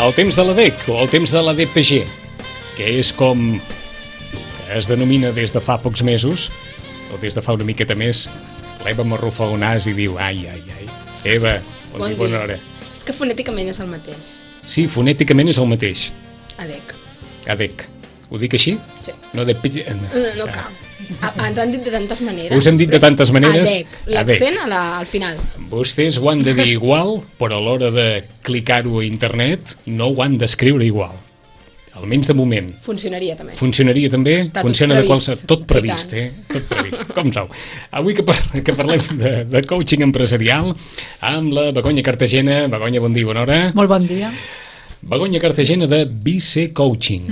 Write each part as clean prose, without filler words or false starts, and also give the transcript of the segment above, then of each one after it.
El temps de l'ADEC o el temps de l'ADPG, que és com es denomina des de fa pocs mesos, o des de fa una miqueta més, l'Eva m'arrufa un nas i diu ai. Eva, bon dia, bona hora. És que fonèticament és el mateix. Sí, fonèticament és el mateix. ADEC. ADEC. Ho dic així? Sí. No ADPG. No cal. Ens han dit de tantes maneres. Us hem dit de tantes maneres. ADEC. L'accent al final. Vostès ho han de dir igual, però a l'hora de clicar-ho a internet no ho han d'escriure igual. Almenys de moment. Funcionaria també. Funcionaria també? Està Funciona tot de qualsevol... Tot previst. previst, Tot previst. Com sou? Avui que parlem de coaching empresarial amb la Begoña Cartagena. Begoña, bon dia, bona hora. Molt bon dia. Begoña Cartagena de BC Coaching.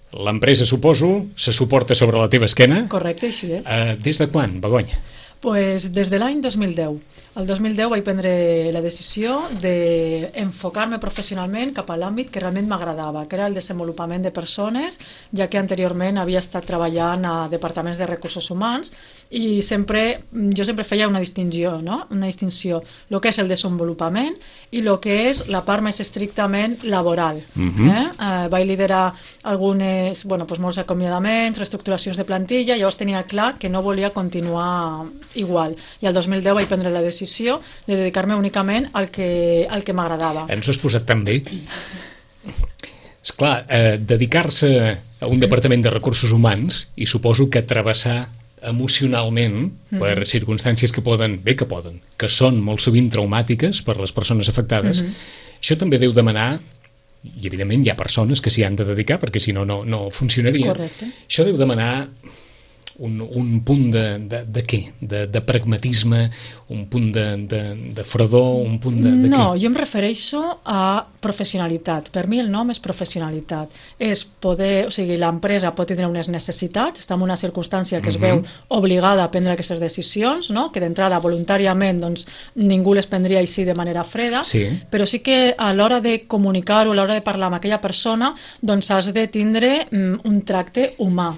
L'empresa, suposo, se suporta sobre la teva esquena. Correcte, així és. Des de quan, Begoña? Pues des de l'any 2010. El 2010 vaig prendre la decisió d'enfocar-me professionalment cap a l'àmbit que realment m'agradava, que era el desenvolupament de persones, ja que anteriorment havia estat treballant a departaments de recursos humans i jo sempre feia una distinció, no? Una distinció, el que és el desenvolupament i el que és la part més estrictament laboral. Vaig liderar molts acomiadaments, reestructuracions de plantilla, llavors tenia clar que no volia continuar igual. I el 2010 vaig prendre la decisió de dedicar-me únicament al que m'agradava. Ens ho has posat tan bé. Esclar, dedicar-se a un departament de recursos humans i suposo que travessar emocionalment per circumstàncies que són molt sovint traumàtiques per les persones afectades, això també deu demanar, i evidentment hi ha persones que s'hi han de dedicar perquè si no, no funcionaria. Correcte. Això deu demanar un punt de què? De pragmatisme, un punt de fredor, un punt de què? No, jo em refereixo a professionalitat. Per mi el nom és professionalitat. És poder, o sigui, l'empresa pot tenir unes necessitats, està en una circumstància que es veu obligada a prendre aquestes decisions, no? Que d'entrada voluntàriament doncs, ningú les prendria així de manera freda, però sí que a l'hora de comunicar-ho, a l'hora de parlar amb aquella persona, doncs has de tindre un tracte humà.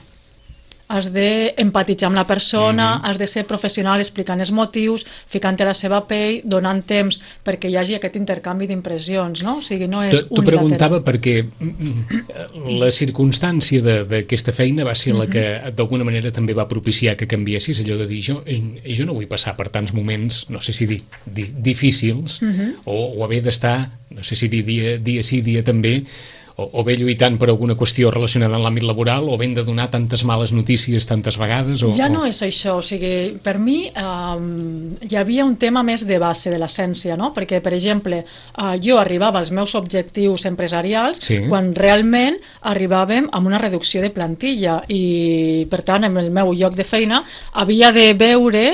Has d'empatitzar amb la persona, has de ser professional explicant els motius, ficant-te a la seva pell, donant temps perquè hi hagi aquest intercanvi d'impressions, no? O sigui, no és unilateral. T'ho preguntava perquè la circumstància d'aquesta feina va ser la que d'alguna manera també va propiciar que canviessis, allò de dir, jo no vull passar per tants moments, no sé si dir difícils, o haver d'estar, no sé si dir dia sí, dia també, o bé lluitant per alguna qüestió relacionada amb l'àmbit laboral, o ben de donar tantes males notícies tantes vegades? Ja no és això, o sigui, per mi hi havia un tema més de base de l'essència, no? Perquè, per exemple, jo arribava als meus objectius empresarials quan realment arribàvem amb una reducció de plantilla i, per tant, en el meu lloc de feina havia de veure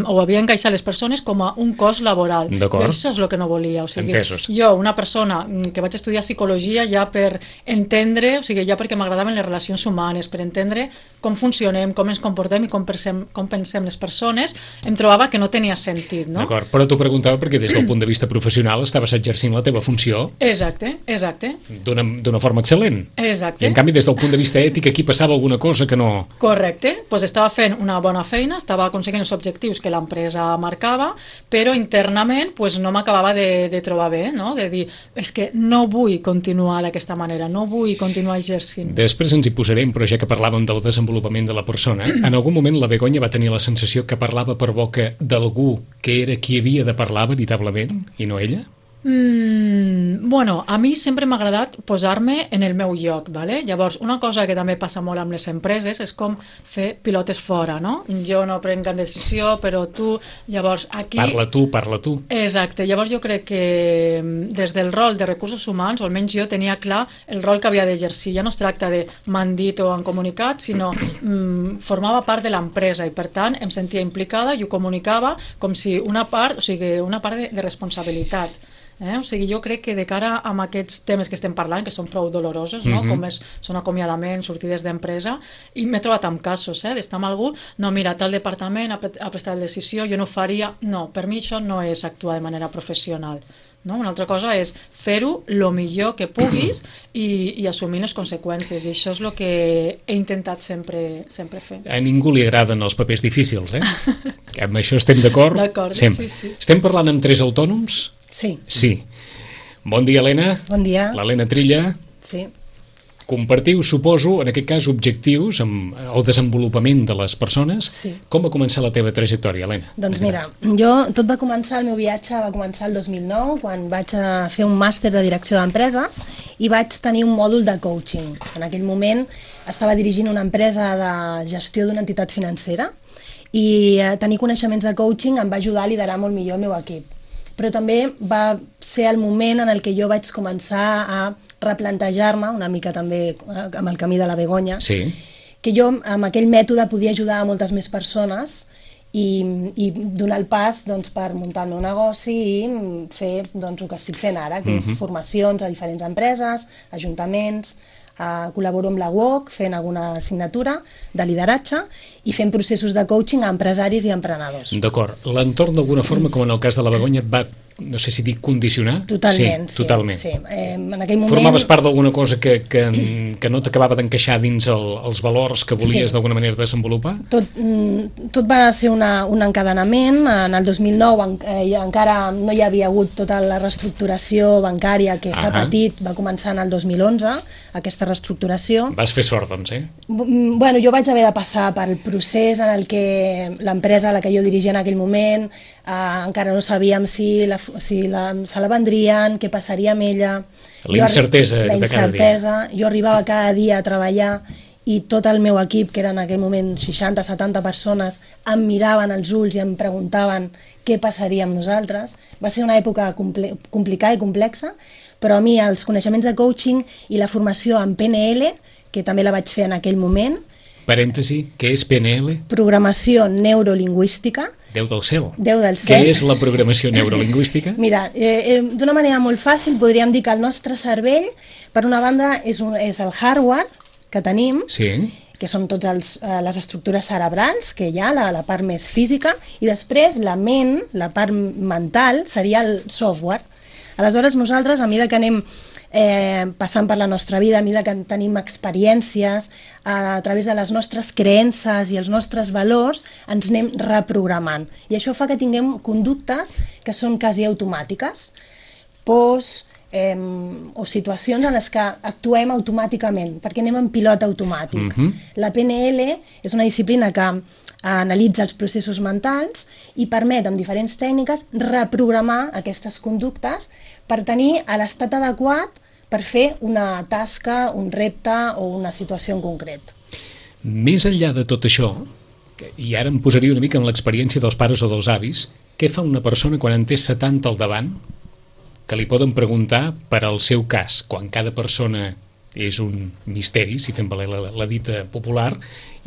o havia d'encaixar les persones com a un cost laboral. D'acord. I això és el que no volia. O sigui, entesos. Jo, una persona que vaig estudiar psicologia ja per entendre, o sigui, ja perquè m'agradaven les relacions humanes, per entendre com funcionem, com ens comportem i com pensem les persones, em trobava que no tenia sentit, no? D'acord, però t'ho preguntava perquè des del punt de vista professional estaves exercint la teva funció exacte. D'una forma excel·lent. Exacte. I en canvi des del punt de vista ètic aquí passava alguna cosa que no... Correcte, doncs estava fent una bona feina, estava aconseguint els objectius que l'empresa marcava, però internament no m'acabava de trobar bé, no? De dir, és que no vull continuar d'aquesta manera, no vull continuar exercint. Després ens hi posarem, però ja que parlàvem del desenvolupament de la persona, en algun moment la Begoña va tenir la sensació que parlava per boca d'algú que era qui havia de parlar veritablement i no ella? Bueno, a mi sempre m'ha agradat posar-me en el meu lloc, ¿vale? Llavors, una cosa que també passa molt amb les empreses és com fer pilotes fora, no? Jo no prenc cap decisió, però tu, llavors aquí... Parla tu. Exacte, llavors jo crec que des del rol de recursos humans, o almenys jo tenia clar el rol que havia d'exercir. Ja no es tracta de m'han dit o han comunicat, sinó formava part de l'empresa i per tant em sentia implicada i ho comunicava com si una part de responsabilitat. O sigui, jo crec que de cara a aquests temes que estem parlant, que són prou dolorosos, no? Com són acomiadaments, sortides d'empresa, i m'he trobat amb casos d'estar amb algú, no, mira, tal departament ha prestat la decisió, jo no ho faria, no, per mi això no és actuar de manera professional. No? Una altra cosa és fer-ho el millor que puguis i assumir les conseqüències, i això és el que he intentat sempre fer. A ningú li agraden els papers difícils, Amb això estem d'acord? D'acord, sempre. Sí. Estem parlant amb 3 autònoms? Sí. Sí. Bon dia, Helena. Bon dia. L'Helena Trilla. Sí. Compartiu, suposo, en aquest cas, objectius amb el desenvolupament de les persones. Sí. Com va començar la teva trajectòria, Helena? Doncs mira, tot va començar, el meu viatge va començar el 2009, quan vaig fer un màster de direcció d'empreses i vaig tenir un mòdul de coaching. En aquell moment estava dirigint una empresa de gestió d'una entitat financera i tenir coneixements de coaching em va ajudar a liderar molt millor el meu equip. Però també va ser el moment en el que jo vaig començar a replantejar-me una mica també amb el camí de la Begoña, Sí. que jo amb aquell mètode podia ajudar a moltes més persones i donar el pas doncs, per muntar el meu negoci i fer doncs, el que estic fent ara, que és formacions a diferents empreses, ajuntaments, col·laboro amb la UOC fent alguna assignatura de lideratge i fent processos de coaching a empresaris i emprenedors. D'acord. L'entorn, d'alguna forma, com en el cas de la Begoña, et va, no sé si dic condicionar? Totalment, sí. Totalment. Sí. En aquell moment... Formaves part d'alguna cosa que no t'acabava d'encaixar dins els valors que volies d'alguna manera desenvolupar? Tot va ser un encadenament. En el 2009 encara no hi havia hagut tota la reestructuració bancària que s'ha patit, va començar en el 2011, aquesta reestructuració. Vas fer sort, doncs, Bueno, jo vaig haver de passar pel procés en el que l'empresa a la que jo dirigia en aquell moment encara no sabíem si se la vendrien, què passaria amb ella. La incertesa de cada dia. Jo arribava cada dia a treballar i tot el meu equip, que era en aquell moment 60-70 persones, em miraven als ulls i em preguntaven què passaria amb nosaltres. Va ser una època complicada i complexa, però a mi els coneixements de coaching i la formació en PNL, que també la vaig fer en aquell moment. Parèntesi, què és PNL? Programació neurolingüística. Déu del cel. Déu del cel. Què és la programació neurolingüística? Mira, d'una manera molt fàcil podríem dir que el nostre cervell, per una banda, és el hardware que tenim, Sí. que són totes les estructures cerebrals que hi ha, la part més física, i després la ment, la part mental, seria el software. Aleshores, nosaltres, a mesura que anem passant per la nostra vida, a mesura que tenim experiències, a través de les nostres creences i els nostres valors, ens anem reprogramant. I això fa que tinguem conductes que són quasi automàtiques, pors o situacions en les que actuem automàticament, perquè anem en pilot automàtic. La PNL és una disciplina que analitza els processos mentals i permet, amb diferents tècniques, reprogramar aquestes conductes per tenir l'estat adequat per fer una tasca, un repte o una situació en concret. Més enllà de tot això, i ara em posaria una mica en l'experiència dels pares o dels avis, què fa una persona quan en té 70 al davant, que li poden preguntar per al seu cas, quan cada persona és un misteri, si fem valer la dita popular,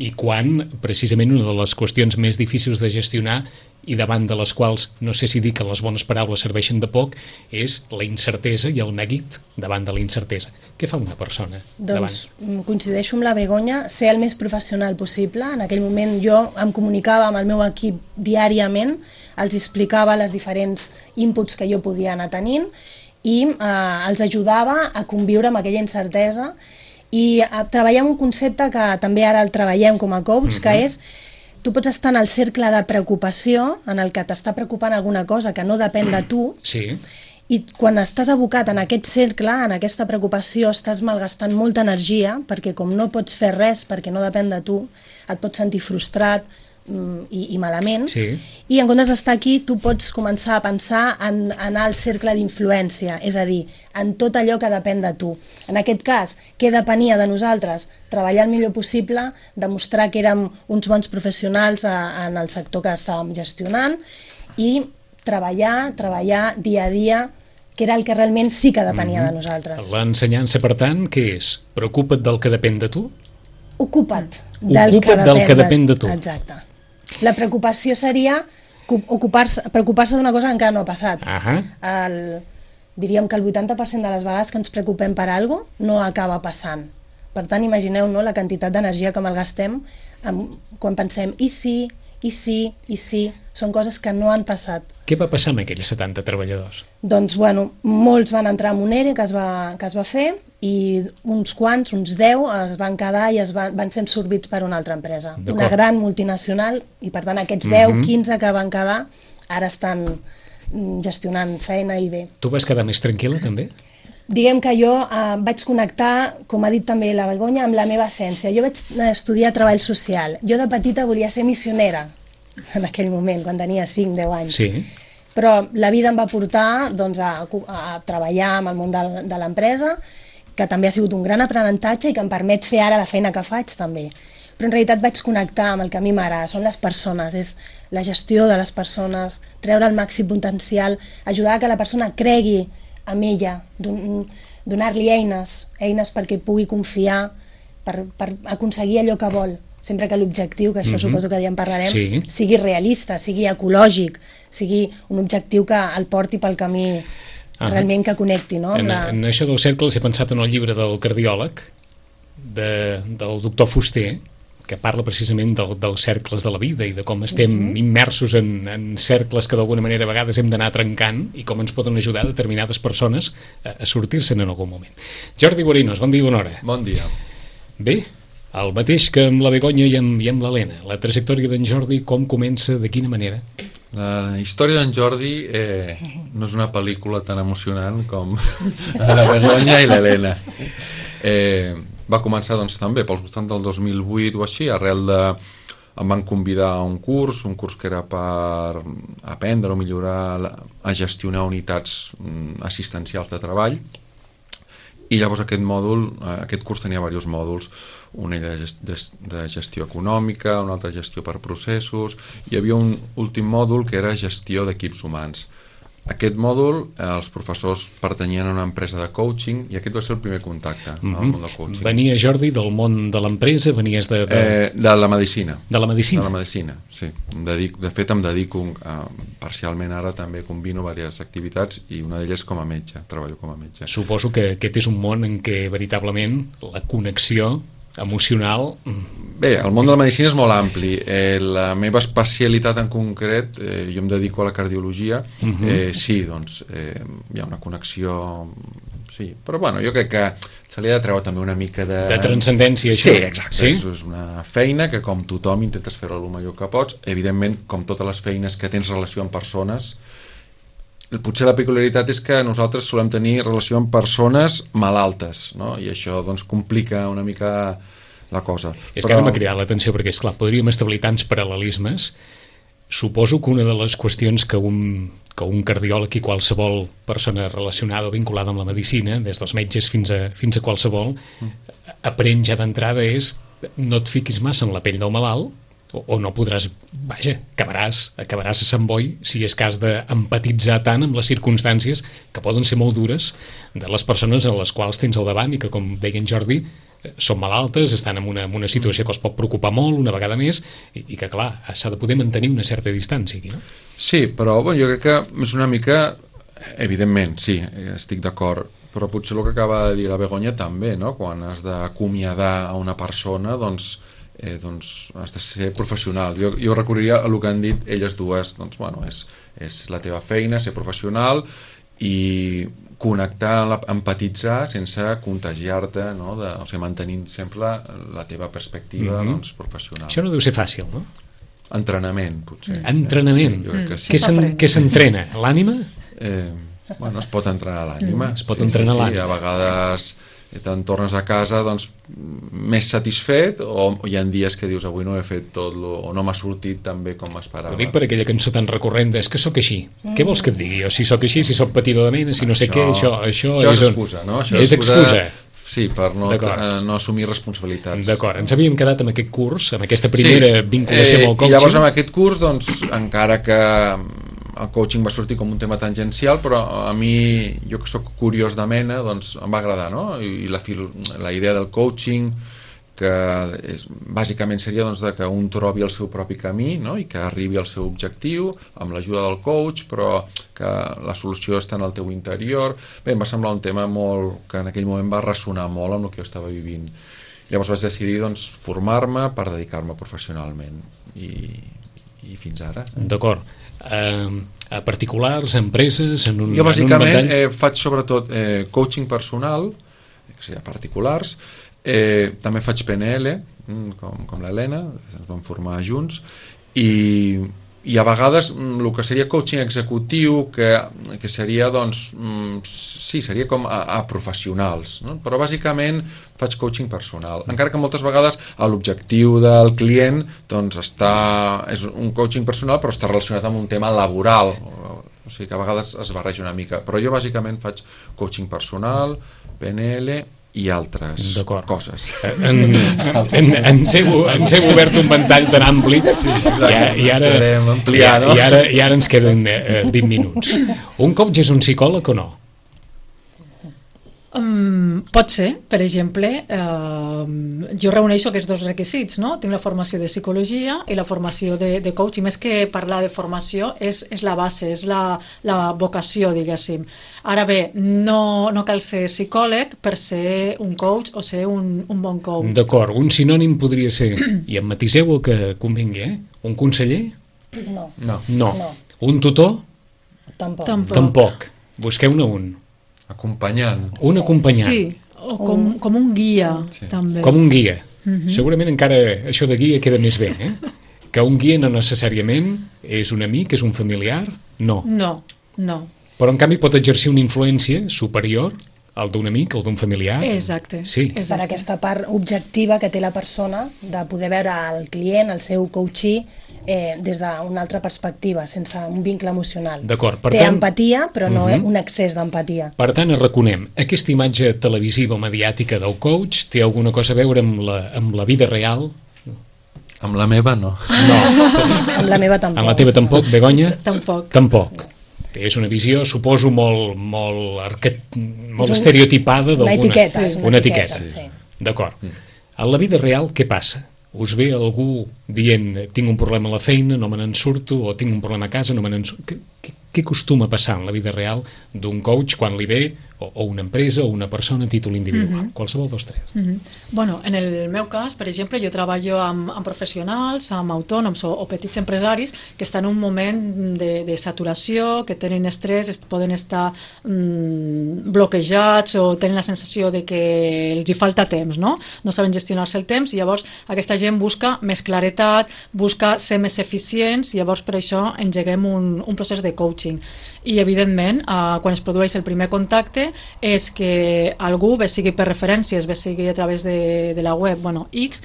i quan, precisament, una de les qüestions més difícils de gestionar i davant de les quals, no sé si dir que les bones paraules serveixen de poc, és la incertesa i el neguit davant de la incertesa. Què fa una persona davant? Doncs coincideixo amb la Begoña, ser el més professional possible. En aquell moment jo em comunicava amb el meu equip diàriament, els explicava les diferents inputs que jo podia anar tenint i els ajudava a conviure amb aquella incertesa i a treballar amb un concepte que també ara el treballem com a coach, que és tu pots estar en el cercle de preocupació, en el que t'està preocupant alguna cosa que no depèn de tu, Sí. i quan estàs abocat en aquest cercle, en aquesta preocupació, estàs malgastant molta energia, perquè com no pots fer res perquè no depèn de tu, et pots sentir frustrat i malament, Sí. i en comptes d'estar aquí tu pots començar a pensar en anar al cercle d'influència, és a dir, en tot allò que depèn de tu. En aquest cas, què depenia de nosaltres? Treballar el millor possible, demostrar que érem uns bons professionals en el sector que estàvem gestionant i treballar dia a dia, que era el que realment sí que depenia de nosaltres. L'ensenyança, per tant, què és? Preocupa't del que depèn de tu? Ocupa't del que depèn de tu. Exacte. La preocupació seria preocupar-se d'una cosa que encara no ha passat. Diríem que el 80% de les vegades que ens preocupem per alguna cosa no acaba passant. Per tant, imagineu la quantitat d'energia que malgastem quan pensem i si, són coses que no han passat. Què va passar amb aquells 70 treballadors? Doncs, molts van entrar en un ERE que es va fer i uns quants, uns 10, es van quedar i van ser absorbits per una altra empresa. Una gran multinacional, i per tant aquests 10, 15 que van quedar ara estan gestionant feina i bé. Tu vas quedar més tranquil·la, també? Diguem que jo vaig connectar, com ha dit també la Begoña, amb la meva essència. Jo vaig estudiar treball social. Jo de petita volia ser missionera, en aquell moment, quan tenia 5-10 anys. Sí. Però la vida em va portar doncs, a treballar amb el món de l'empresa, que també ha sigut un gran aprenentatge i que em permet fer ara la feina que faig també. Però en realitat vaig connectar amb el que a mi m'agrada, són les persones, és la gestió de les persones, treure el màxim potencial, ajudar a que la persona cregui en ella, donar-li eines perquè pugui confiar, per aconseguir allò que vol, sempre que l'objectiu, que això suposo que ja en parlarem, sigui realista, sigui ecològic, sigui un objectiu que el porti pel camí realment que connecti. En això dels cercles he pensat en el llibre del cardiòleg, del doctor Fuster, que parla precisament dels cercles de la vida i de com estem immersos en cercles que d'alguna manera a vegades hem d'anar trencant i com ens poden ajudar determinades persones a sortir-se'n en algun moment. Jordi Guarinos, bon dia i bona hora. Bon dia. Bé, el mateix que amb la Begoña i amb l'Helena. La trajectòria d'en Jordi, com comença, de quina manera? La història d'en Jordi no és una pel·lícula tan emocionant com la Begoña i l'Helena. Va començar doncs, també pels voltants del 2008 o així, em van convidar a un curs que era per aprendre o millorar a gestionar unitats assistencials de treball, i llavors aquest curs tenia diversos mòduls, un de gestió econòmica, un altre gestió per processos, i hi havia un últim mòdul que era gestió d'equips humans. Aquest mòdul, els professors pertanyien a una empresa de coaching i aquest va ser el primer contacte al món del coaching. Venia, Jordi, del món de l'empresa? Venies de la medicina. De la medicina? De la medicina, sí. De fet, em dedico parcialment ara, també combino diverses activitats i una d'elles com a metge, treballo com a metge. Suposo que aquest és un món en què veritablement la connexió emocional... Bé, el món de la medicina és molt ampli. La meva especialitat en concret, jo em dedico a la cardiologia, sí, doncs hi ha una connexió, sí, però bueno, jo crec que se li ha de treure també una mica de... De transcendència, això? Sí, exacte, és una feina que com tothom intentes fer-la el millor que pots, evidentment, com totes les feines que tens relació amb persones, potser la peculiaritat és que nosaltres solem tenir relació amb persones malaltes, no? I això doncs complica una mica la cosa. És que ara m'ha cridat l'atenció perquè, esclar, podríem establir tants paral·lelismes. Suposo que una de les qüestions que un cardiòleg i qualsevol persona relacionada o vinculada amb la medicina, des dels metges fins a qualsevol, aprèn ja d'entrada és no et fiquis massa en la pell del malalt, o no podràs, vaja, acabaràs a Sant Boi si és cas d'empatitzar tant amb les circumstàncies que poden ser molt dures de les persones a les quals tens al davant i que, com deia en Jordi, són malaltes, estan en una situació que els pot preocupar molt una vegada més i que, clar, s'ha de poder mantenir una certa distància aquí, no? Sí, però jo crec que és una mica, evidentment, sí, estic d'acord, però potser el que acaba de dir la Begoña també, no? Quan has d'acomiadar a una persona, doncs has de ser professional. Jo recorreria a el que han dit elles dues, doncs bueno, és la teva feina, ser professional i connectar, empatitzar sense contagiar-te, no? O sigui, mantenint sempre la teva perspectiva professional. Això no deu ser fàcil, no? Entrenament, potser. Entrenament? Sí, què s'entrena? L'ànima? Bueno, es pot entrenar l'ànima. Es pot entrenar l'ànima. A vegades te'n tornes a casa més satisfet, o hi ha dies que dius avui no he fet tot o no m'ha sortit tan bé com m'esperava. Ho dic per aquella cançó tan recurrent és que sóc així. Què vols que et digui? O si sóc així, si sóc petitó de mena, si no sé què, això és excusa, no? És excusa. Sí, per no assumir responsabilitats. D'acord, ens havíem quedat amb aquest curs, amb aquesta primera vinculació amb el coaching. I llavors amb aquest curs, doncs, encara que el coaching va sortir com un tema tangencial, però a mi, jo que sóc curiós de mena, doncs em va agradar, no? I la idea del coaching, que bàsicament seria doncs, que un trobi el seu propi camí, no? I que arribi al seu objectiu amb l'ajuda del coach, però que la solució està en el teu interior. Bé, em va semblar un tema que en aquell moment va ressonar molt amb el que jo estava vivint. Llavors vaig decidir doncs, formar-me per dedicar-me professionalment i fins ara. D'acord. A particulars, empreses, en un jo bàsicament faig sobretot coaching personal, que seria particulars, també faig PNL com l'Helena, ens vam formar junts, i I a vegades el que seria coaching executiu, que seria, doncs, sí, seria com a professionals, no? Però bàsicament faig coaching personal, encara que moltes vegades l'objectiu del client doncs és un coaching personal però està relacionat amb un tema laboral, o sigui que a vegades es barreja una mica, però jo bàsicament faig coaching personal, PNL i altres coses. Ens hem obert un ventall tan ampli i ara ens queden 20 minuts. Un coach és un psicòleg o no? Pot ser, per exemple, jo reuneixo aquests dos requisits, no? Tinc la formació de psicologia i la formació de coach, i més que parlar de formació és la base, és la vocació, diguéssim. Ara bé, no cal ser psicòleg per ser un coach o ser un bon coach. D'acord, un sinònim podria ser, i em matiseu el que convingui, un conseller? No. Un tutor? Tampoc. Busqueu-ne un. Acompanyant. Un acompanyant. Sí, o com un guia, també. Com un guia. Segurament encara això de guia queda més bé, Que un guia no necessàriament és un amic, és un familiar, no. No. Però en canvi pot exercir una influència superior al d'un amic, al d'un familiar. Exacte. Sí. Per aquesta part objectiva que té la persona de poder veure el client, el seu coachee, des d'una altra perspectiva, sense un vincle emocional. D'acord, per tant... Té tant... empatia, però no un excés d'empatia. Per tant, reconem, aquesta imatge televisiva o mediàtica del coach té alguna cosa a veure amb la vida real? Amb la meva, no. Amb la meva tampoc. Amb la teva tampoc, Begoña? Tampoc. És una visió, suposo, molt estereotipada d'alguna... Una etiqueta, sí. D'acord. A la vida real, què passa? Us ve algú dient tinc un problema a la feina, no me n'en surto, o tinc un problema a casa, no me n'en surto... Què acostuma a passar en la vida real d'un coach quan li ve, o una empresa, o una persona a títol individual? Qualsevol dels tres. Bueno, en el meu cas, per exemple, jo treballo amb professionals, amb autònoms o petits empresaris que estan en un moment de saturació, que tenen estrès, poden estar bloquejats o tenen la sensació de que els hi falta temps, no saben gestionar-se el temps, i llavors aquesta gent busca més claretat, busca ser més eficients, i llavors per això engeguem un procés de coaching. I evidentment, quan es produeix el primer contacte, és que algú, bé sigui per referències, bé sigui a través de la web, X,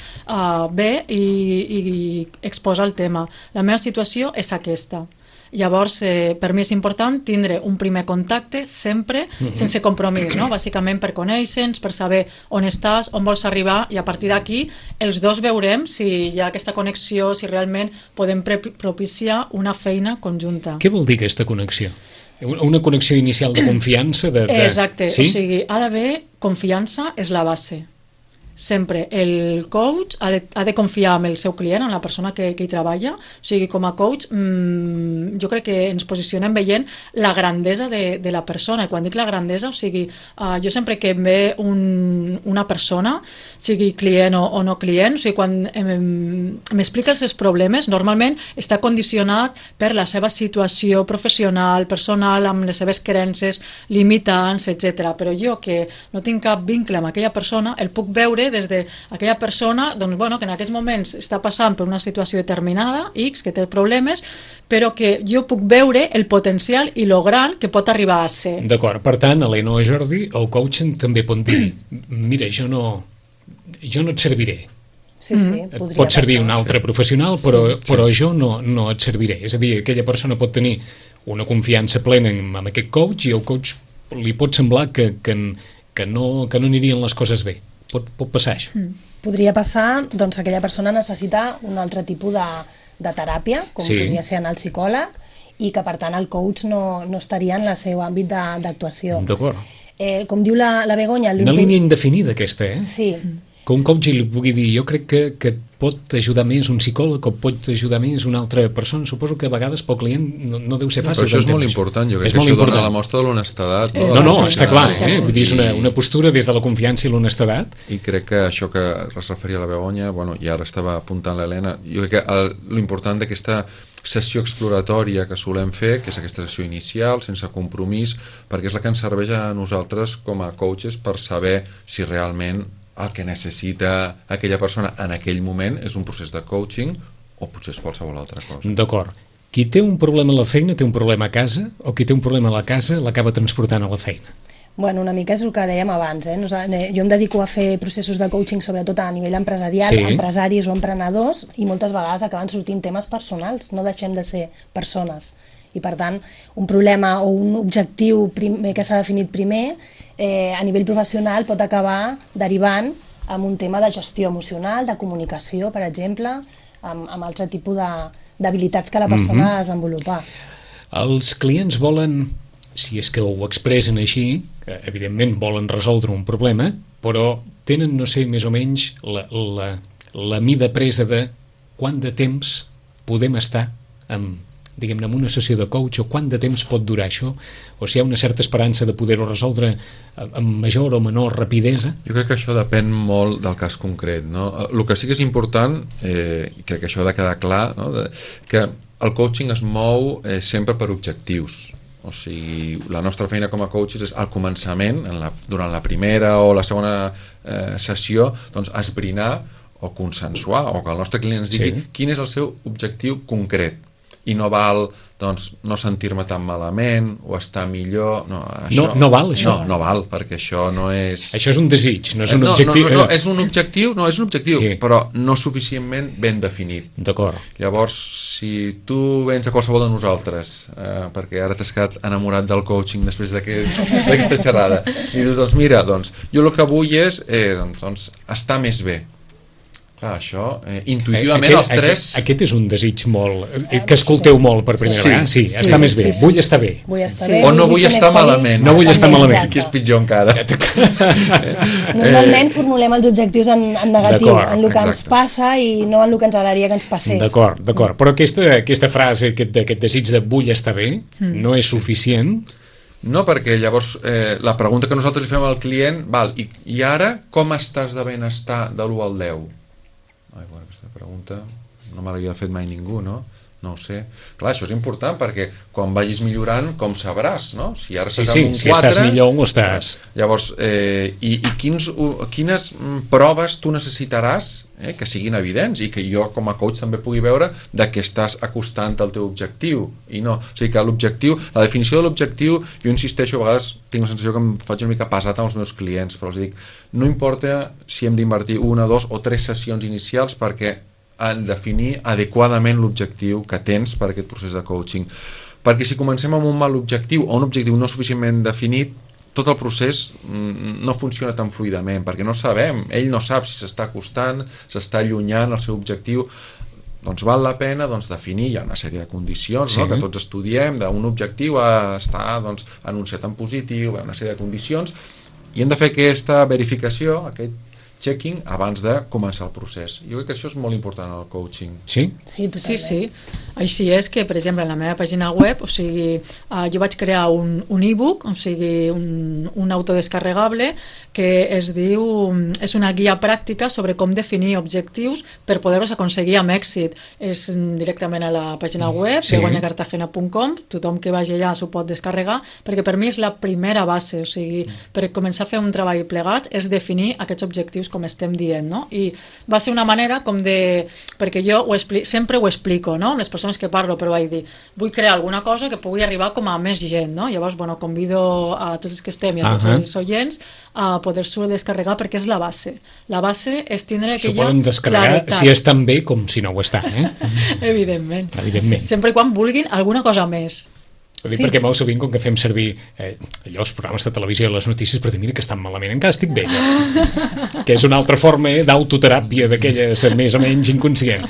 ve i exposa el tema. La meva situació és aquesta. Llavors, per mi és important tindre un primer contacte sempre sense compromís, bàsicament per conèixer-nos, per saber on estàs, on vols arribar, i a partir d'aquí els dos veurem si hi ha aquesta connexió, si realment podem propiciar una feina conjunta. Què vol dir aquesta connexió? Una connexió inicial de confiança? Exacte, sí? O sigui, ha d'haver confiança, és la base. Sempre el coach ha de confiar en el seu client, en la persona que hi treballa. O sigui, com a coach jo crec que ens posicionem veient la grandesa de la persona, i quan dic la grandesa, o sigui, jo sempre que em ve una persona, sigui client o no client, o sigui, quan m'explica els seus problemes, normalment està condicionat per la seva situació professional, personal, amb les seves creences limitants, etc. Però jo, que no tinc cap vincle amb aquella persona, el puc veure des d'aquella persona que en aquests moments està passant per una situació determinada, X, que té problemes, però que jo puc veure el potencial i lo gran que pot arribar a ser. D'acord, per tant, Helena o Jordi, el coaching també pot dir mira, jo no et serviré. Sí, pot servir un altre professional, però jo no et serviré. És a dir, aquella persona pot tenir una confiança plena en aquest coach, i el coach li pot semblar que no anirien les coses bé. Pot passar això. Podria passar, doncs aquella persona necessita un altre tipus de teràpia, com podria ser anar al psicòleg, i que per tant el coach no estaria en el seu àmbit d'actuació. D'acord. Com diu la Begoña... Una línia indefinida aquesta, Sí. Que un coach li pugui dir, jo crec que pot ajudar més un psicòleg o pot ajudar més una altra persona. Suposo que a vegades pel client no deu ser fàcil. Però això és molt important, jo crec que això dona la mostra de l'honestedat. No, està clar, vull dir, és una postura des de la confiança i l'honestedat. I crec que això que es referia a la Begoña, i ara estava apuntant l'Helena, jo crec que l'important d'aquesta sessió exploratòria que solem fer, que és aquesta sessió inicial, sense compromís, perquè és la que ens serveix a nosaltres com a coaches per saber si realment el que necessita aquella persona en aquell moment és un procés de coaching o potser és qualsevol altra cosa. D'acord. Qui té un problema a la feina té un problema a casa, o qui té un problema a la casa l'acaba transportant a la feina? Bueno, una mica és el que dèiem abans. Jo em dedico a fer processos de coaching sobretot a nivell empresarial, empresaris o emprenedors, i moltes vegades acaben sortint temes personals, no deixem de ser persones. I per tant, un problema o un objectiu que s'ha definit primer a nivell professional pot acabar derivant en un tema de gestió emocional, de comunicació, per exemple, amb altre tipus d'habilitats que la persona ha de desenvolupar. Els clients volen, si és que ho expressen així, evidentment volen resoldre un problema, però tenen, no sé, més o menys la mida presa de quant de temps podem estar amb diguem-ne, en una sessió de coach, o quant de temps pot durar això, o si hi ha una certa esperança de poder-ho resoldre amb major o menor rapidesa? Jo crec que això depèn molt del cas concret, no? El que sí que és important, crec que això ha de quedar clar, no? Que el coaching es mou sempre per objectius. O sigui, la nostra feina com a coaches és al començament, durant la primera o la segona sessió, doncs esbrinar o consensuar, o que el nostre client ens digui quin és el seu objectiu concret. I no val, doncs, no sentir-me tan malament o estar millor. No val, això? No val, perquè això no és... Això és un desig, no és un objectiu. No, és un objectiu, però no suficientment ben definit. D'acord. Llavors, si tu vens a qualsevol de nosaltres, perquè ara t'has quedat enamorat del coaching després d'aquesta xerrada, i dius, doncs mira, jo el que vull és estar més bé. Clar, això, intuïtivament els tres... Aquest és un desig molt... que escolteu molt per primera vegada. Sí, estar més bé. Vull estar bé. O no vull estar malament. No vull estar malament. Que és pitjor encara. Normalment formulem els objectius en negatiu, en el que ens passa i no en el que ens agradaria que ens passés. D'acord. Però aquesta frase, aquest desig de vull estar bé, no és suficient. No, perquè llavors la pregunta que nosaltres li fem al client, i ara com estàs de benestar de l'1 al 10? Aquesta pregunta no me l'havia fet mai ningú, no? No ho sé. Clar, això és important perquè quan vagis millorant, com sabràs, no? Si ara estàs amb un 4... si estàs millor o estàs... Llavors, quines proves tu necessitaràs que siguin evidents i que jo com a coach també pugui veure de què estàs acostant al teu objectiu i no. O sigui que l'objectiu, la definició de l'objectiu, jo insisteixo, a vegades tinc la sensació que em faig una mica pesat amb els meus clients, però els dic, no importa si hem d'invertir 1, 2 o 3 sessions inicials perquè en definir adequadament l'objectiu que tens per aquest procés de coaching. Perquè si comencem amb un mal objectiu o un objectiu no suficientment definit, tot el procés no funciona tan fluidament, perquè no sabem, ell no sap si s'està acostant, s'està allunyant el seu objectiu. Doncs val la pena definir, hi ha una sèrie de condicions que tots estudiem, d'un objectiu a estar anunciat en positiu, hi ha una sèrie de condicions, i hem de fer aquesta verificació, aquest checking abans de començar el procés. Jo crec que això és molt important al coaching. Sí? Sí. Així és que, per exemple, en la meva pàgina web, o sigui, jo vaig crear un e-book, o sigui, un autodescarregable que es diu, és una guia pràctica sobre com definir objectius per poder-los aconseguir amb èxit. És directament a la pàgina web, begoñacartagena.com, tothom que vagi allà s'ho pot descarregar, perquè per mi és la primera base, o sigui, per començar a fer un treball plegat és definir aquests objectius com estem dient, no? I va ser una manera com de... perquè jo sempre ho explico, no? Les persones que parlo, però vaig dir, vull crear alguna cosa que pugui arribar com a més gent, no? Llavors, convido a tots els que estem i a tots els oients a poder-s'ho descarregar perquè és la base. La base és tindre aquella... S'ho poden descarregar si és tan bé com si no ho està, Evidentment. Evidentment. Sempre i quan vulguin alguna cosa més. Ho dic perquè molt sovint, com que fem servir els programes de televisió i les notícies per dir, mira que estan malament, encara estic bé, que és una altra forma d'autoteràpia d'aquelles més o menys inconscient.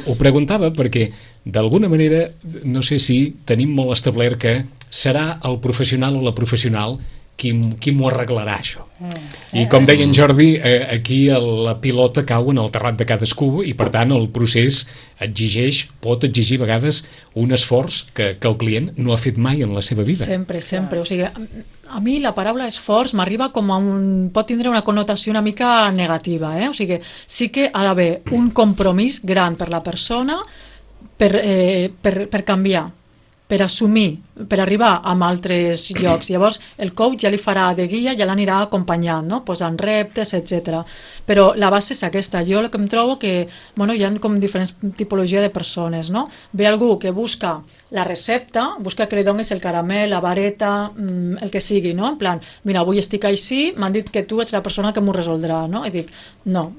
Ho preguntava perquè, d'alguna manera, no sé si tenim molt establert que serà el professional o la professional qui m'ho arreglarà, això. I com deia en Jordi, aquí la pilota cau en el terrat de cadascú i per tant el procés pot exigir a vegades un esforç que el client no ha fet mai en la seva vida. Sempre. O sigui, a mi la paraula esforç m'arriba com a pot tindre una connotació una mica negativa, o sigui, sí que ha d'haver un compromís gran per la persona per canviar. per assumir, per arribar a altres llocs. Llavors, el coach ja li farà de guia, ja l'anirà acompanyant, no? Posant reptes, etc. Però la base és aquesta. Jo el que em trobo que hi ha com diferents tipologies de persones, no? Ve algú que busca la recepta, busca que li donis el caramel, la vareta, el que sigui, no? En plan, mira, avui estic així, m'han dit que tu ets la persona que m'ho resoldrà, no? I dic, no,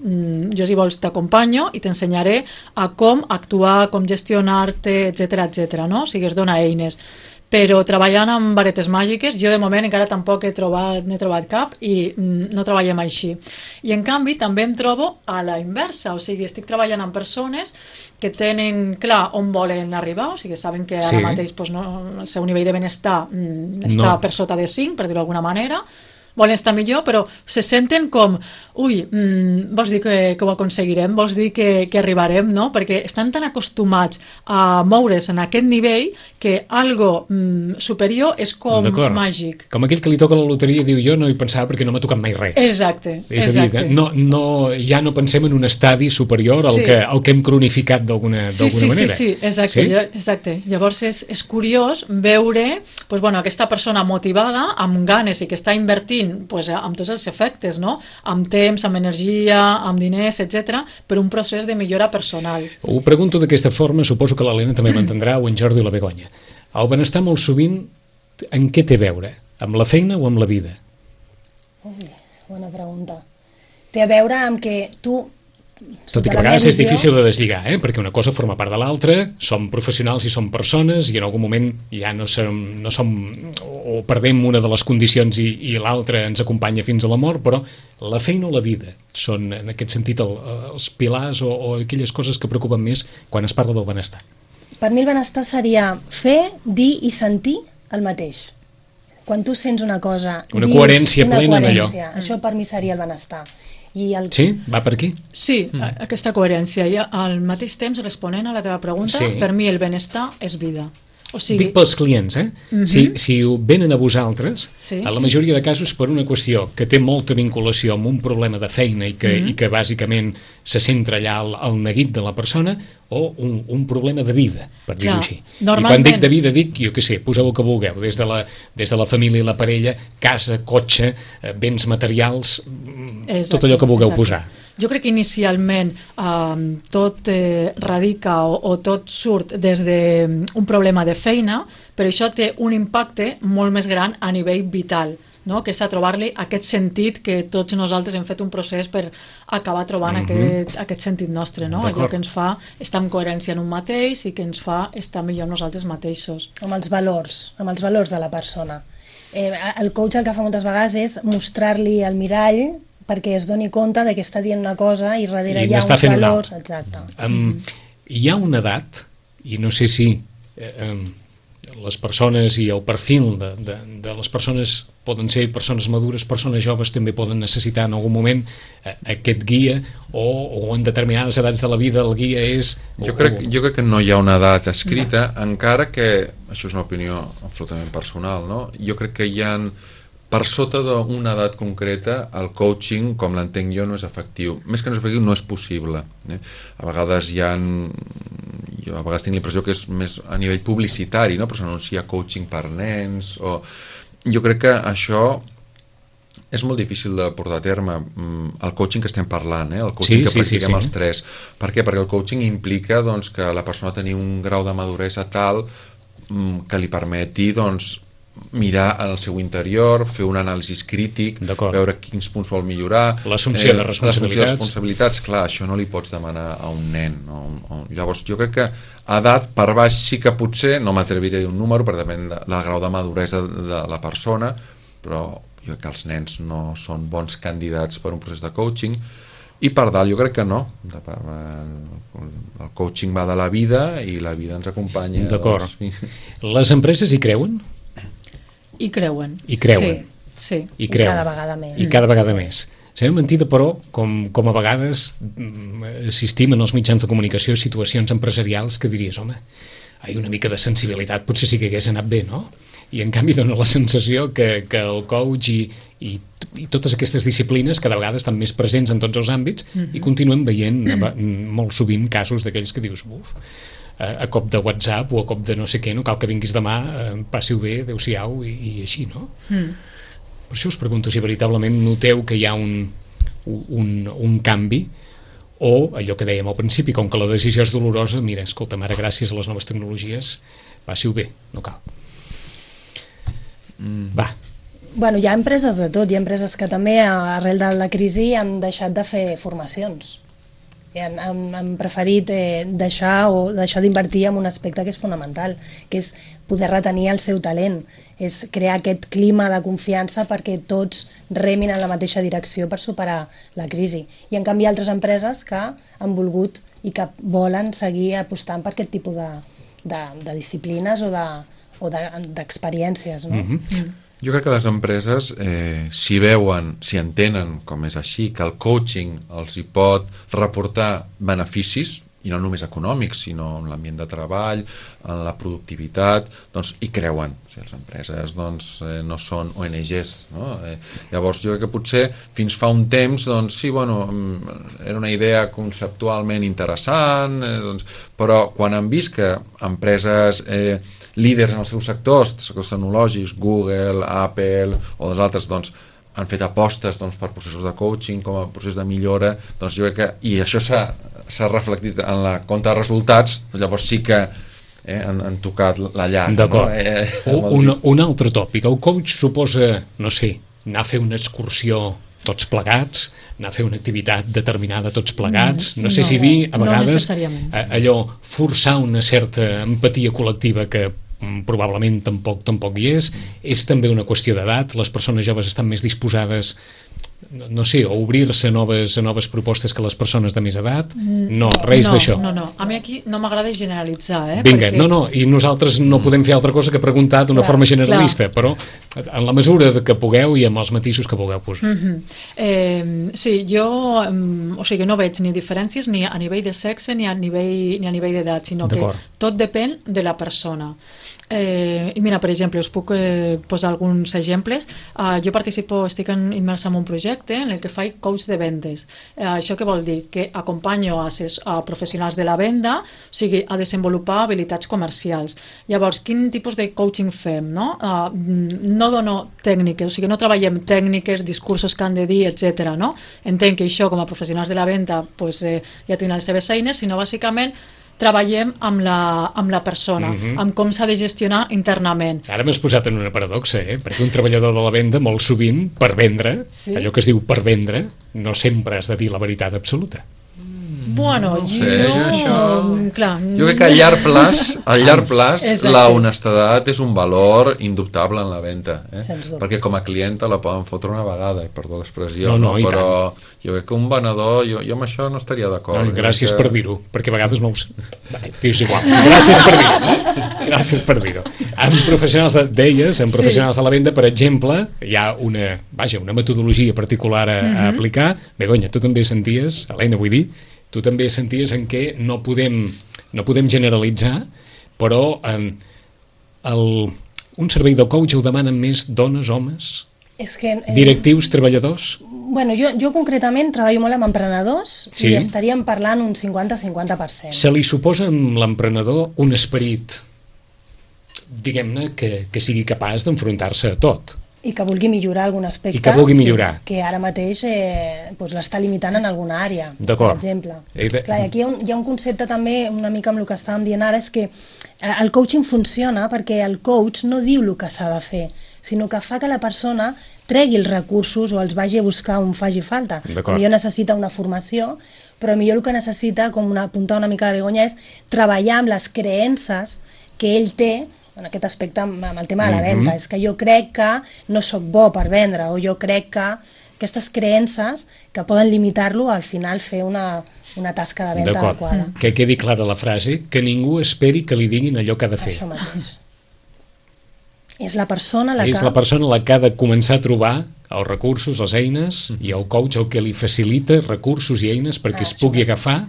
jo si vols t'acompanyo i t'ensenyaré a com actuar, com gestionar-te, etc, no? O sigui, es dona eines. Però treballant amb varetes màgiques, jo de moment encara tampoc n'he trobat cap i no treballem així. I en canvi també em trobo a la inversa, o sigui, estic treballant amb persones que tenen clar on volen arribar, o sigui, saben que ara mateix el seu nivell de benestar està per sota de 5, per dir-ho d'alguna manera, volen estar millor, però se senten com, vols dir que ho aconseguirem, vols dir que arribarem, no? Perquè estan tan acostumats a moure's en aquest nivell que algo superior és com màgic. Com aquell que li toca la loteria i diu, jo no hi pensava perquè no m'ha tocat mai res. Exacte. És a dir, ja no pensem en un estadi superior al que hem cronificat d'alguna manera. Sí, exacte. Llavors és curiós veure aquesta persona motivada, amb ganes i que està invertint amb tots els efectes, no? Amb temps, amb energia, amb diners, etc, per un procés de millora personal. Ho pregunto d'aquesta forma, suposo que l'Helena també m'entendrà, o en Jordi o la Begoña. El benestar molt sovint, en què té a veure? Amb la feina o amb la vida? Bona pregunta. Té a veure amb que tu... Tot i que a vegades és difícil de deslligar, perquè una cosa forma part de l'altra, som professionals i som persones i en algun moment ja no som o perdem una de les condicions i l'altra ens acompanya fins a la mort, però la feina o la vida són en aquest sentit els pilars o aquelles coses que preocupen més quan es parla del benestar. Per mi el benestar seria fer, dir i sentir el mateix. Quan tu sents una cosa, una coherència plena en allò. Això per mi seria el benestar. Sí? Va per aquí? Sí, aquesta coherència. I al mateix temps, responent a la teva pregunta, per mi el benestar és vida. O sigui... Dic pels clients, si venen a vosaltres, a la majoria de casos per una qüestió que té molta vinculació amb un problema de feina i que bàsicament se centra allà al neguit de la persona, o un problema de vida, per dir-ho així. I quan dic de vida dic, jo què sé, poseu el que vulgueu, des de la família i la parella, casa, cotxe, béns materials, tot allò que vulgueu posar. Jo crec que inicialment tot radica o tot surt des d'un problema de feina, però això té un impacte molt més gran a nivell vital, no? Que és a trobar-li aquest sentit que tots nosaltres hem fet un procés per acabar trobant aquest sentit nostre, no? Allò que ens fa estar en coherència en un mateix i que ens fa estar millor nosaltres mateixos. Amb els valors de la persona. El coach el que fa moltes vegades és mostrar-li el mirall perquè es doni compte que està dient una cosa i darrere hi ha uns valors. Exacte. Hi ha una edat, i no sé si les persones i el perfil de les persones poden ser persones madures, persones joves també poden necessitar en algun moment aquest guia o en determinades edats de la vida el guia és... Jo crec que no hi ha una edat escrita, encara que, això és una opinió absolutament personal, no? Jo crec que hi ha... Per sota d'una edat concreta, el coaching, com l'entenc jo, no és efectiu. Més que no és efectiu, no és possible. A vegades jo a vegades tinc la impressió que és més a nivell publicitari, no? Però s'anuncia coaching per nens, jo crec que això és molt difícil de portar a terme, el coaching que estem parlant, el coaching que practiquem els tres. Per què? Perquè el coaching implica que la persona tingui un grau de maduresa tal que li permeti mirar al seu interior, fer un anàlisi crític, veure quins punts vol millorar, l'assumpció de responsabilitats. Clar, això no li pots demanar a un nen, llavors jo crec que a edat per baix sí que potser, no m'atreviré a dir un número perquè depèn del grau de maduresa de la persona, però jo crec que els nens no són bons candidats per un procés de coaching. I per dalt jo crec que no, el coaching va de la vida i la vida ens acompanya. D'acord. Les empreses hi creuen? I creuen. Sí. I cada vegada més. I cada vegada més. Sembla mentida, però, com a vegades assistim en els mitjans de comunicació a situacions empresarials que diries, home, una mica de sensibilitat potser sí que hagués anat bé, no? I en canvi dona la sensació que el coach i totes aquestes disciplines cada vegada estan més presents en tots els àmbits i continuem veient molt sovint casos d'aquells que dius, a cop de WhatsApp o a cop de no sé què, no cal que vinguis demà, passi-ho bé, adeu-siau, i així, no? Per això us pregunto si veritablement noteu que hi ha un canvi, o allò que dèiem al principi, com que la decisió és dolorosa, mira, escolta, ara gràcies a les noves tecnologies, passi-ho bé, no cal. Va. Bueno, hi ha empreses de tot, hi ha empreses que també arrel de la crisi han deixat de fer formacions. Han preferit deixar d'invertir en un aspecte que és fonamental, que és poder retenir el seu talent, és crear aquest clima de confiança perquè tots remin en la mateixa direcció per superar la crisi. I en canvi hi ha altres empreses que han volgut i que volen seguir apostant per aquest tipus de disciplines o d'experiències, no? Jo crec que les empreses, si veuen, si entenen, com és així, que el coaching els hi pot reportar beneficis, i no només econòmics, sinó en l'ambient de treball, en la productivitat, doncs hi creuen. O sigui, les empreses no són ONGs, no? Llavors jo crec que potser fins fa un temps, doncs sí, bueno, era una idea conceptualment interessant, però quan han vist que empreses líders en els seus sectors tecnològics, Google, Apple o dels altres, doncs, han fet apostes per processos de coaching com a procés de millora, doncs jo crec que, i això s'ha reflectit en la compte de resultats, llavors sí que han tocat la llar. D'acord. Un altre tòpic. El coach suposa, no sé, anar a fer una excursió tots plegats, anar a fer una activitat determinada tots plegats, no sé si dir, a vegades, allò, forçar una certa empatia col·lectiva que probablement tampoc hi és també una qüestió d'edat, les persones joves estan més disposades, no sé, a obrir-se a noves propostes que les persones de més edat? No, res d'això. No, a mi aquí no m'agrada generalitzar, Vinga, i nosaltres no podem fer altra cosa que preguntar d'una forma generalista, però en la mesura que pugueu i amb els matisos que vulgueu posar. Sí, jo no veig ni diferències ni a nivell de sexe ni a nivell d'edat, sinó que tot depèn de la persona. I mira, per exemple, us puc posar alguns exemples. Jo estic immersa en un projecte en el que faig coach de vendes. Això què vol dir? Que acompanyo a professionals de la venda, o sigui, a desenvolupar habilitats comercials. Llavors, quin tipus de coaching fem? No dono tècniques, o sigui, no treballem tècniques, discursos que han de dir, etc. Entenc que això, com a professionals de la venda, ja tenen les seves eines, sinó bàsicament treballem amb la persona, amb com s'ha de gestionar internament. Ara m'has posat en una paradoxa, perquè un treballador de la venda molt sovint, per vendre, allò que es diu per vendre, no sempre has de dir la veritat absoluta. Bueno, clar. Jo crec que a llarg plaç la honestedat és un valor indubtable en la venda, perquè com a clienta la poden fotre una vegada, perdó l'expressió, però jo crec que un venedor, jo amb això no estaria d'acord. Gràcies per dir-ho, perquè a vegades no ho sé. És igual, gràcies per dir-ho. En professionals de la venda, per exemple, hi ha una metodologia particular a aplicar. Begoña, tu també senties, Helena, vull dir, tu també senties en què no podem generalitzar, però un servei de coach ho demanen més dones, homes, directius, treballadors? Bueno, jo concretament treballo molt amb emprenedors i estaríem parlant un 50-50%. Se li suposa a l'emprenedor un esperit, diguem-ne, que sigui capaç d'enfrontar-se a tot. I que vulgui millorar algun aspecte que ara mateix l'està limitant en alguna àrea, per exemple. Clar, aquí hi ha un concepte també, una mica amb el que estàvem dient ara, és que el coaching funciona perquè el coach no diu el que s'ha de fer, sinó que fa que la persona tregui els recursos o els vagi a buscar on faci falta. Potser necessita una formació, però millor el que necessita, com apuntar una mica la Begoña, és treballar amb les creences que ell té en aquest aspecte amb el tema de la venda. És que jo crec que no sóc bo per vendre, o jo crec que aquestes creences que poden limitar-lo al final fer una tasca de venda adequada. Que quedi clara la frase, que ningú esperi que li diguin allò que ha de fer. Això mateix. És la persona la que ha de començar a trobar els recursos, les eines, i el coach el que li facilita recursos i eines perquè es pugui agafar,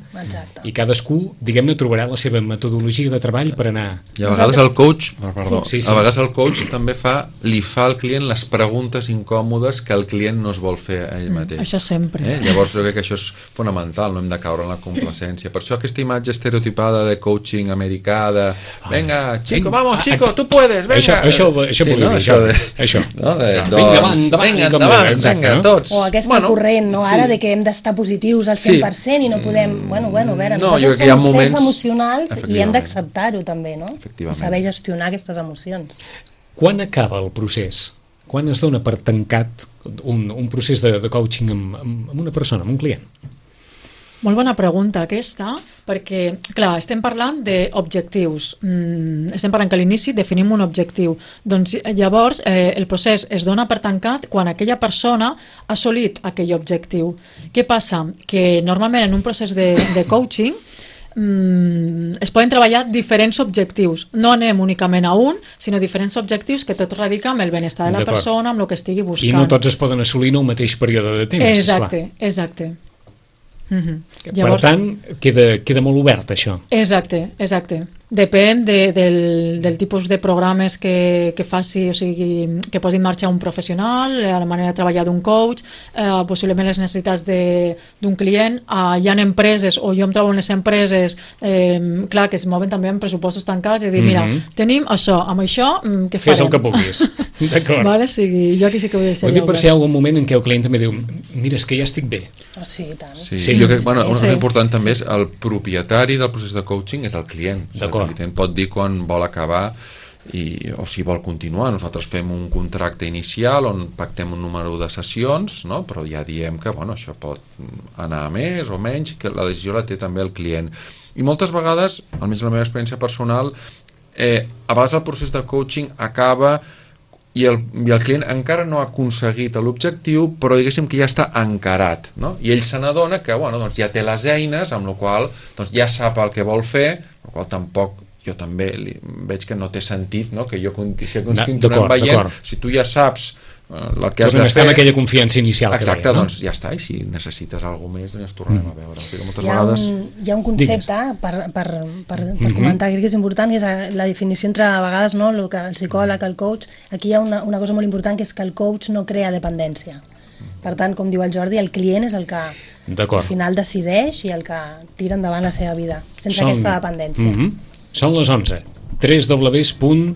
i cadascú, diguem-ne, trobarà la seva metodologia de treball per anar... I a vegades el coach, perdó, Sí. a vegades el coach també li fa al client les preguntes incòmodes que el client no es vol fer a ell mateix. Això sempre. Llavors jo crec que això és fonamental, no hem de caure en la complacència. Per això aquesta imatge estereotipada de coaching americà, de venga, chico, vamos, chico, tu puedes, venga. Això volia dir, això. Vinga, endavant, tots. O aquesta corrent, no? Ara, de que hem d'estar positius al 100% i no podem... Bueno, a veure, nosaltres som éssers emocionals i hem d'acceptar-ho també, no? I saber gestionar aquestes emocions. Quan acaba el procés? Quan es dona per tancat un procés de coaching amb una persona, amb un client? Molt bona pregunta aquesta, perquè, clar, estem parlant d'objectius. Estem parlant que a l'inici definim un objectiu. Doncs llavors el procés es dona per tancat quan aquella persona ha assolit aquell objectiu. Què passa? Que normalment en un procés de coaching es poden treballar diferents objectius. No anem únicament a un, sinó diferents objectius que tot radica amb el benestar de la persona, amb el que estigui buscant. I no tots es poden assolir en el mateix període de temps. Exacte. Llavors, per tant, queda molt obert això. Exacte. Depèn del tipus de programes que faci, o sigui, que posi en marxa un professional, la manera de treballar d'un coach, possiblement les necessitats d'un client. Hi ha empreses, o jo em trobo en les empreses, clar, que es mouen també amb pressupostos tancats, i dir, mira, tenim això, amb això, què farem? Fes el que puguis. D'acord. Vale? Sí, jo aquí sí que vull deixar. Ho dic per si hi ha algun moment en què el client també diu, mira, és que ja estic bé. Sí, tant. Sí, jo crec que una cosa important també és el propietari del procés de coaching és el client. El client pot dir quan vol acabar o si vol continuar. Nosaltres fem un contracte inicial on pactem un número de sessions, no? Però ja diem que això pot anar a més o menys, que la decisió la té també el client. I moltes vegades, almenys la meva experiència personal, a vegades el procés de coaching acaba i el client encara no ha aconseguit l'objectiu, però diguéssim que ja està encarat, no? I ell se n'adona que doncs ja té les eines, amb la qual ja sap el que vol fer, amb la qual tampoc jo també veig que no té sentit, no? Que continuem veient. Si tu ja saps el que has de fer... amb aquella confiança inicial. Exacte, doncs ja està, i si necessites alguna cosa més, ens tornarem a veure. Hi ha un concepte per comentar, crec que és important, que és la definició entre, a vegades, el psicòleg, el coach. Aquí hi ha una cosa molt important, que és que el coach no crea dependència. Per tant, com diu el Jordi, el client és el que al final decideix i el que tira endavant la seva vida, sense aquesta dependència. Són les 11. www.ad.cat,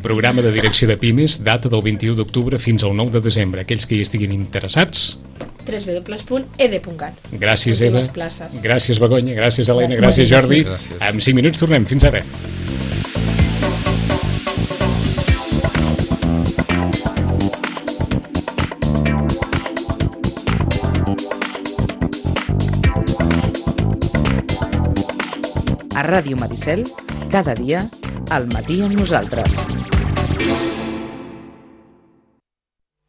programa de direcció de Pimes, data del 21 d'octubre fins al 9 de desembre. Aquells que hi estiguin interessats... www.ed.cat. Gràcies, Eva. Gràcies, Begoña. Gràcies, Helena. Gràcies, Jordi. En 5 minuts tornem. Fins ara. A Ràdio Maricel, cada dia, al matí amb nosaltres.